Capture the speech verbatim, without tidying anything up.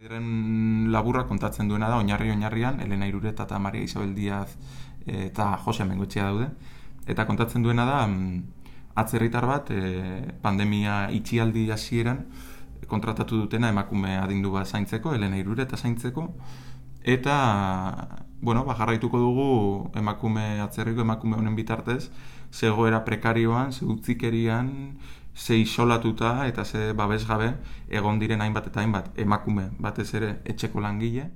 Eren laburra kontatzen duena da, oinarri oinarrian, Elena Irureta eta Maria Isabel Diaz eta Jose Bengoetxea daude. Eta kontatzen duena da, atzerritar bat, e, pandemia itxialdi hasieran kontratatu dutena emakume adindu bat zaintzeko, Elena Irureta zaintzeko. Eta, bueno, ba, jarraituko dugu emakume atzerriko emakume honen bitartez, zegoera prekarioan, ze utzikerian, ze isolatuta eta ze babesgabe egon diren hainbat eta hainbat emakume batez ere etxeko langile.